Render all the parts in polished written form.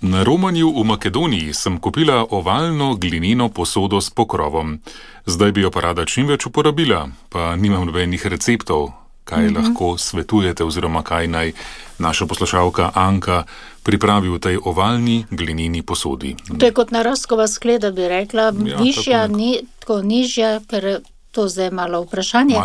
Na romanju v Makedoniji sem kupila ovalno glineno posodo s pokrovom. Zdaj bi jo pa rada čim več uporabila, pa nimam nobenih receptov. Kaj lahko svetujete oziroma kaj naj naša poslušalka Anka pripravi v tej ovalni glineni posodi? To je kot narastkova skleda, bi rekla, višja, tako nižja, ker to zdaj malo vprašanje.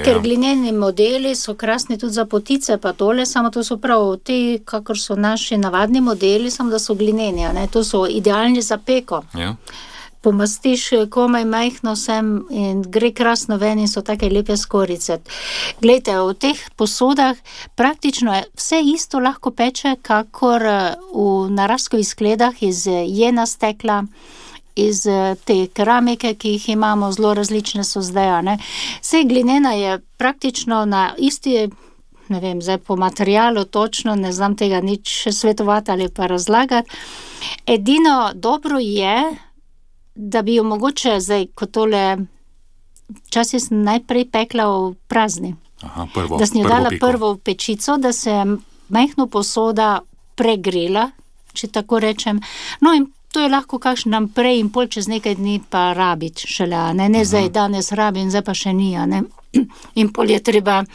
Ker glineni modeli so krasni tudi za potice, pa tole, samo to so prav ti, kakor so naši navadni modeli, samo da so glineni, ne? To so idealni za peko. Ja. Pomastiš komaj majhno sem in gre krasno ven in so take lepe skorice. Glejte, v teh posodah praktično vse isto lahko peče, kakor v narastkovih skledah iz jena stekla, iz te keramike, ki jih imamo, zelo različne so zdaj, ne. Saj glinena je praktično na isti, ne vem, zdaj po materialu točno, ne znam tega nič svetovati ali pa razlagati. Edino dobro je, da bi jo mogoče zdaj, kot tole, včasih sem najprej pekla v prazni. Da sem jo dala prvo v pečico, da se majhno posoda pregrela, če tako rečem. No in to je lahko kakšen dan prej in pol čez nekaj dni pa rabiti šele, ne zdaj danes rabim, zdaj pa še ni, ne. In pol je treba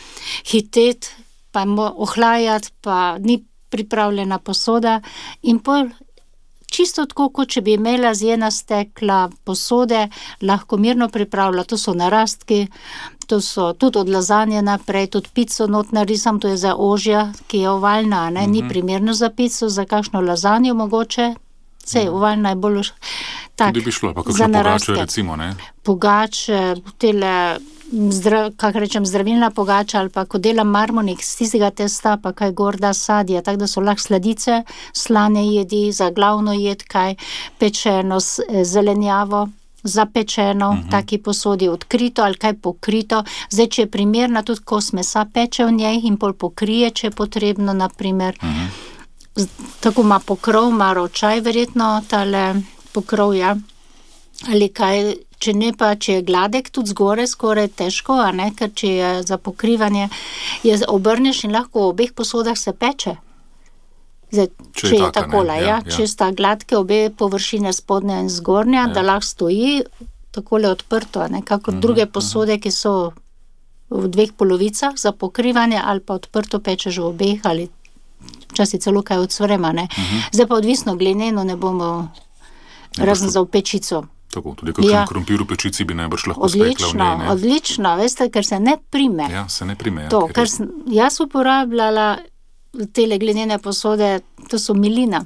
hiteti, pa ohlajati, pa ni pripravljena posoda in pol čisto tako, kot če bi imela z jena stekla posode, lahko mirno pripravlja. To so narastki, to so tudi od lazanje naprej, tudi pico not narisam, to je za ožja, ki je ovalna, ne, ni primerno za pico, za kakšno lazanjo mogoče, sej ovalna je bolj tak, tudi bi šlo, pa kakšno pogačo recimo, ne? Pogače, tele, zdravilna pogača ali pa ko delam marmonik z tistega testa, pa kaj gorda sadje, tako da so lahko sladice, slane jedi, za glavno jed kaj, pečeno zelenjavo, zapečeno, taki posodi odkrito ali kaj pokrito. Zdaj, če je primerna, tudi kos mesa peče v njej in pol pokrije, če je potrebno, naprimer. Tako ima pokrov, ima ročaj verjetno, tale pokrov, ja. Ali kaj, če ne pa, če je gladek, tudi zgore skoraj težko, a ne, ker če je za pokrivanje, je obrneš in lahko v obeh posodah se peče. Zdaj, če je takola, če sta gladke obe površine spodnja in zgornja, da lahko stoji takole odprto, ne, kako druge posode, ki so v dveh polovicah za pokrivanje ali pa odprto pečeš v obeh ali včasih celo kaj odsvrema, ne. Zdaj pa odvisno, glineno ne bomo razen za v pečico. Tako, tudi kakšen krompir v pečici bi najbrž lahko spekla v njej, ne? Odlično, veste, ker se ne prime. Ja, se ne prime, ja. To, ker sem jaz uporabljala tele glinene posode, to so milina.